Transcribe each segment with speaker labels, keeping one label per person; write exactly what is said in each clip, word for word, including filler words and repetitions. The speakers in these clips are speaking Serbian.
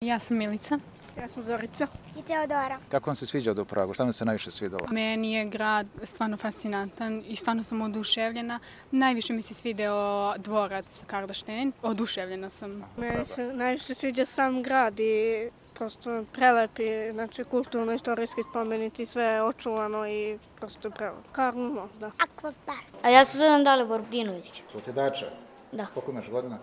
Speaker 1: Ja sam Milica.
Speaker 2: Ja sam Zorica.
Speaker 3: I Teodora.
Speaker 4: Kako vam se sviđa u Pragu? Šta vam se najviše svidalo?
Speaker 1: Meni je grad stvarno fascinantan i stvarno sam oduševljena. Najviše mi se svideo dvorac Karlštejn. Oduševljena sam.
Speaker 2: Meni se najviše sviđa sam grad i prosto prelepi, znači kulturno-istorijski spomenici, sve je očuvano i prosto prelepo. Karlo možda.
Speaker 3: Akvapark. A ja se zovem Dalibor Dinović.
Speaker 4: Su ti dača?
Speaker 3: Da.
Speaker 4: Koliko imaš godina?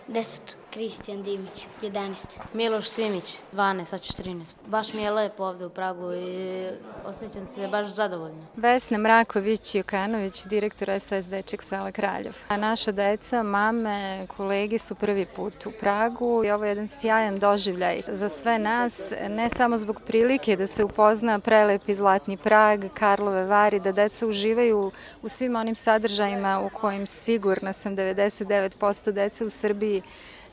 Speaker 3: Deset. Kristijan Dimić, jedanaest.
Speaker 5: Miloš Simić, dvanaest, sad ću trinaest. Baš mi je lepo ovde u Pragu i osjećam se baš zadovoljno.
Speaker 6: Vesna Mraković-Jokanović, direktor S O S Dečjeg sela Kraljev. A naša deca, mame, kolege su prvi put u Pragu i ovo je jedan sjajan doživljaj za sve nas, ne samo zbog prilike da se upozna prelepi Zlatni Prag, Karlove Vari, da deca uživaju u svim onim sadržajima u kojim sigurna sam devedeset devet posto dece u Srbiji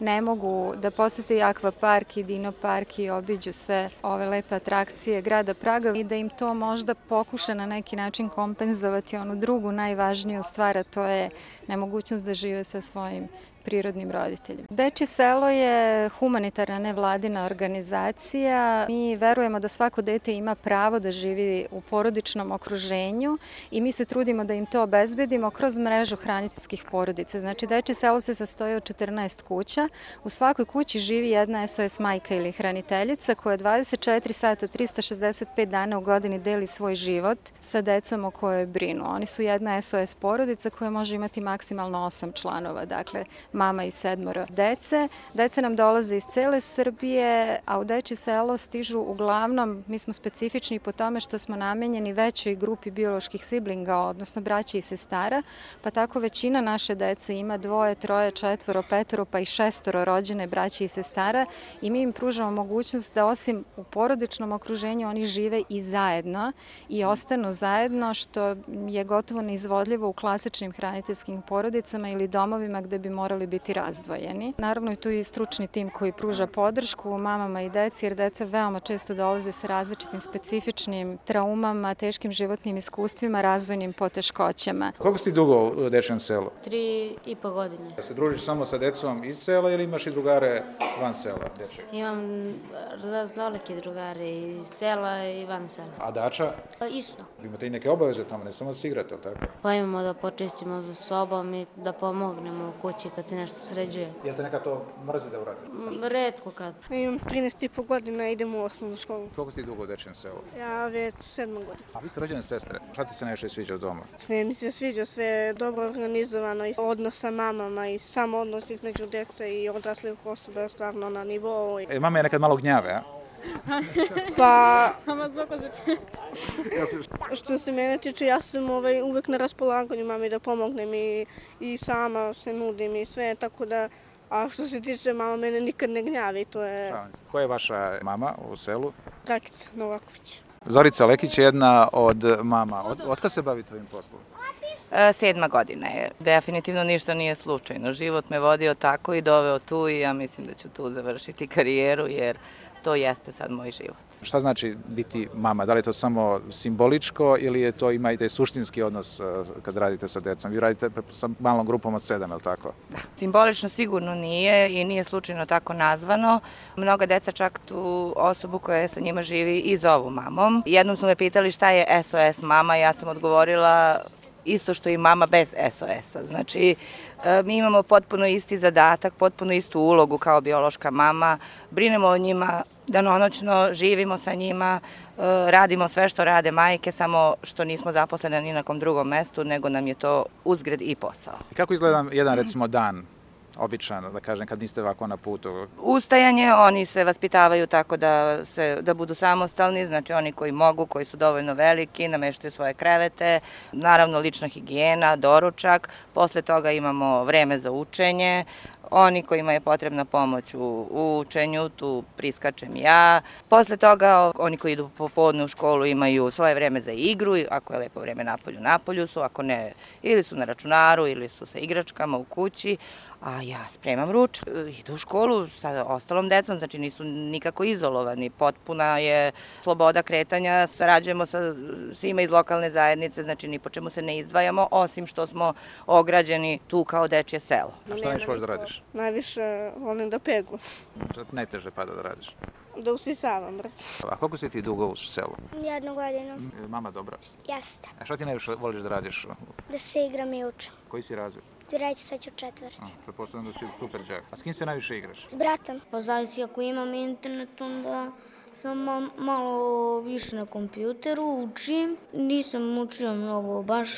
Speaker 6: ne mogu da posete i akvapark i dino park i obiđu sve ove lepe atrakcije grada Praga i da im to možda pokuša na neki način kompenzovati onu drugu najvažniju stvar, a to je nemogućnost da žive sa svojim prirodnim roditeljima. Dečje selo je humanitarna nevladina organizacija. Mi verujemo da svako dete ima pravo da živi u porodičnom okruženju i mi se trudimo da im to obezbedimo kroz mrežu hraniteljskih porodica. Znači, Dečje selo se sastoji od četrnaest kuća. U svakoj kući živi jedna S O S majka ili hraniteljica koja dvadeset četiri sata, trista šezdeset pet dana u godini deli svoj život sa decom o kojoj brinu. Oni su jedna S O S porodica koja može imati maksimalno osam članova, dakle, mama i sedmoro dece. Dece nam dolaze iz cele Srbije, a u Dečje selo stižu uglavnom, mi smo specifični po tome što smo namenjeni većoj grupi bioloških siblinga, odnosno braće i sestara, pa tako većina naše dece ima dvoje, troje, četvoro, petoro, pa i šestoro rođene braće i sestara i mi im pružamo mogućnost da osim u porodičnom okruženju oni žive i zajedno i ostanu zajedno, što je gotovo neizvodljivo u klasičnim hraniteljskim porodicama ili domovima gde bi morali biti razdvojeni. Naravno i tu je i stručni tim koji pruža podršku mamama i deci, jer deca veoma često dolaze sa različitim specifičnim traumama, teškim životnim iskustvima, razvojnim poteškoćama.
Speaker 4: Koliko si ti dugo u Dečjem selu?
Speaker 5: Tri i po godine.
Speaker 4: Da se družiš samo sa decom iz sela ili imaš i drugare van sela Dečjeg?
Speaker 5: Imam raznolike drugare iz sela i van sela.
Speaker 4: A dača?
Speaker 5: Pa isto.
Speaker 4: Imate i neke obaveze tamo, ne samo da se igrate, ali tako?
Speaker 5: Pa imamo da počistimo za sobom i da pomognemo u kući kad se nešto sređuje.
Speaker 4: Jel te neka to mrzi da uradite?
Speaker 5: Retko kad.
Speaker 2: Imam trinaest i po godina, idem u osnovnu školu.
Speaker 4: Koliko si ti dugo u Dečjem selu?
Speaker 2: Ja već sedam godina.
Speaker 4: A vi ste rođene sestre. Šta ti se najviše sviđa od doma?
Speaker 2: Sve mi se sviđa, sve je dobro organizovano i odnos sa mamama i sam odnos između dece i odraslih osoba je stvarno na nivou.
Speaker 4: E, mama je nekad malo gnjave, a?
Speaker 2: Pa, što se mene tiče, ja sam ovaj, uvek na raspolaganju mami da pomognem i, i sama se nudim i sve, tako da, a što se tiče mama, mene nikad ne gnjavi, to je
Speaker 4: Koja je vaša mama u selu?
Speaker 2: Dragica Novaković.
Speaker 4: Zorica Lekić je jedna od mama. Od, od kad se bavi tvojim poslom?
Speaker 7: Sedma godina je. Definitivno ništa nije slučajno. Život me vodio tako i doveo tu i ja mislim da ću tu završiti karijeru jer to jeste sad moj život.
Speaker 4: Šta znači biti mama? Da li je to samo simboličko ili je to ima i taj suštinski odnos kad radite sa decom? Vi radite sa malom grupom od sedam, je li tako?
Speaker 7: Da. Simbolično sigurno nije i nije slučajno tako nazvano. Mnoga deca čak tu osobu koja sa njima živi i zovu mamom. Jednom su me pitali šta je S O S mama, ja sam odgovorila isto što i mama bez S O S-a. Znači, mi imamo potpuno isti zadatak, potpuno istu ulogu kao biološka mama, brinemo o njima, danonoćno živimo sa njima, radimo sve što rade majke, samo što nismo zaposlene ni na kom drugom mestu, nego nam je to uzgred i posao.
Speaker 4: Kako izgleda jedan, recimo, dan? Običan, da kažem, kad niste ovako na putu?
Speaker 7: Ustajanje, oni se vaspitavaju tako da, se, da budu samostalni, znači oni koji mogu, koji su dovoljno veliki, nameštaju svoje krevete, naravno lična higijena, doručak, posle toga imamo vreme za učenje, oni kojima je potrebna pomoć u, u učenju, tu priskačem ja. Posle toga oni koji idu popodne u školu imaju svoje vreme za igru, ako je lepo vreme napolju, napolju su, ako ne, ili su na računaru, ili su sa igračkama u kući, a ja spremam ručak. Idu u školu sa ostalom decom, znači nisu nikako izolovani, potpuna je sloboda kretanja, sarađujemo sa svima iz lokalne zajednice, znači ni po čemu se ne izdvajamo, osim što smo ograđeni tu kao dečje selo.
Speaker 4: A šta neš možeš da radiš? radiš?
Speaker 2: Najviše volim da peglam,
Speaker 4: Šta ti najteže pada da radiš?
Speaker 2: da usisavam brzo.
Speaker 4: A koliko si ti dugo u selu?
Speaker 3: Jednu godinu.
Speaker 4: Je Mama dobra.
Speaker 3: Jeste.
Speaker 4: A šta ti najviše voliš da radiš?
Speaker 3: Da se igram i učim.
Speaker 4: Koji si razred?
Speaker 3: Reći sad ću četvrti.
Speaker 4: Pretpostavljam da si super đak. A s kim se najviše igraš?
Speaker 3: S bratom. Pa zavisi ako imam internet, onda sam malo više na kompjuteru, učim. Nisam učio mnogo baš,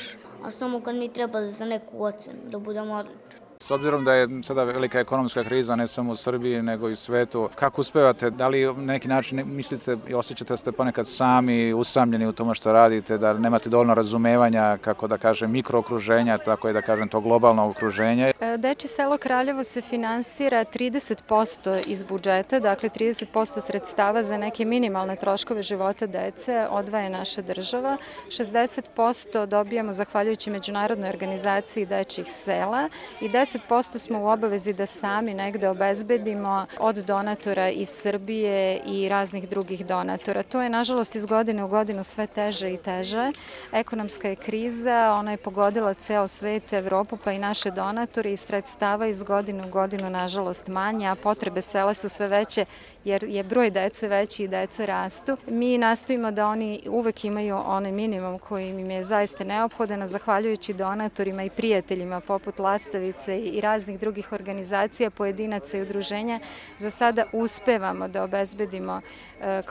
Speaker 3: a samo kad mi treba za neku ocenu, da budem odličan.
Speaker 4: S obzirom da je sada velika ekonomska kriza, ne samo u Srbiji, nego i u svetu, kako uspevate? Da li na neki način mislite i osjećate da ste ponekad sami usamljeni u tome što radite, da nemate dovoljno razumevanja, kako da kažem, mikrookruženja, tako je da kažem, to globalno okruženje?
Speaker 6: Dečje selo Kraljevo se finansira trideset posto iz budžeta, dakle trideset posto sredstava za neke minimalne troškove života dece odvaja naša država. šezdeset posto dobijamo zahvaljujući Međunarodnoj organizaciji dečjih sela i deset posto smo u obavezi da sami negde obezbedimo od donatora iz Srbije i raznih drugih donatora. To je, nažalost, iz godine u godinu sve teže i teže. Ekonomska je kriza, ona je pogodila ceo svet, Evropu, pa i naše donatore i sredstava iz godine u godinu, nažalost, manje, a potrebe sela su sve veće jer je broj dece veći i deca rastu. Mi nastojimo da oni uvek imaju onaj minimum koji im je zaista neophodan, zahvaljujući donatorima i prijateljima poput Lastavice i raznih drugih organizacija, pojedinaca i udruženja. Za sada uspevamo da obezbedimo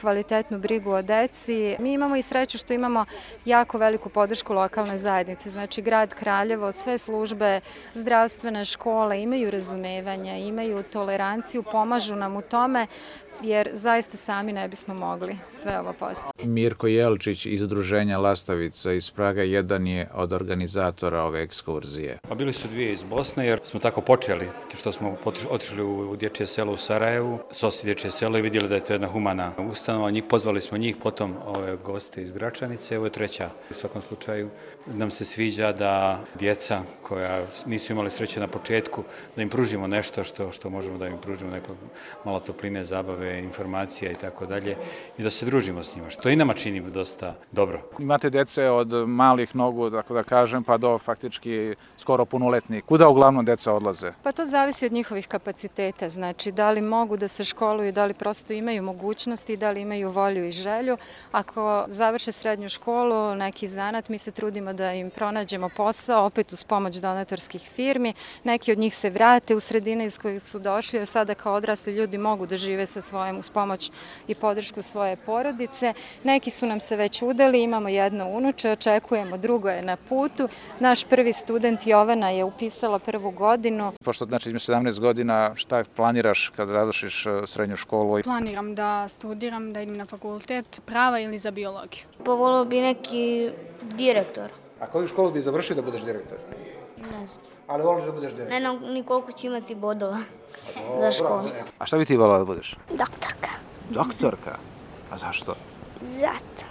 Speaker 6: kvalitetnu brigu o deci. Mi imamo i sreću što imamo jako veliku podršku lokalne zajednice. Znači, grad Kraljevo, sve službe, zdravstvene škole imaju razumevanja, imaju toleranciju, pomažu nam u tome, jer zaista sami ne bismo mogli sve ovo postići.
Speaker 4: Mirko Jelčić iz udruženja Lastavica iz Praga jedan je od organizatora ove ekskurzije.
Speaker 8: Pa bili su dvije iz Bosne jer smo tako počeli, što smo otišli u dječje selo u Sarajevu, sosi dječje selo i vidjeli da je to jedna humana ustanova. Njih, pozvali smo njih, potom ove goste iz Gračanice, ovo je treća. U svakom slučaju nam se sviđa da djeca koja nisu imali sreće na početku, da im pružimo nešto što, što možemo da im pružimo, neko malo topline, zabave, informacija i tako dalje i da se družimo s njima, što i nama čini dosta dobro.
Speaker 4: Imate dece od malih nogu, tako da kažem, pa do faktički skoro punoletnih. Kuda uglavnom deca odlaze?
Speaker 6: Pa to zavisi od njihovih kapaciteta, znači da li mogu da se školuju, da li prosto imaju mogućnosti, da li imaju volju i želju. Ako završe srednju školu, neki zanat, mi se trudimo da im pronađemo posao, opet uz pomoć donatorskih firmi. Neki od njih se vrate u sredine iz kojih su došli, a sada kao odrasli ljudi mogu da žive sa svojim uz pomoć i podršku svoje porodice. Neki su nam se već udali, imamo jedno unuče, očekujemo, drugo je na putu. Naš prvi student Jovana je upisala prvu godinu.
Speaker 4: Pošto znači između sedamnaest godina, šta planiraš kad završiš srednju školu?
Speaker 1: Planiram da studiram, da idem na fakultet prava ili za biologiju.
Speaker 3: Pa volio bi neki direktor.
Speaker 4: A koju školu bi završio da budeš direktor?
Speaker 3: Ne znam.
Speaker 4: Ali voliš da budeš direktor?
Speaker 3: Ne znam ni koliko ću imati bodova za školu.
Speaker 4: A šta bi ti volila da budeš?
Speaker 3: Doktorka.
Speaker 4: Doktorka? A zašto?
Speaker 3: Zato.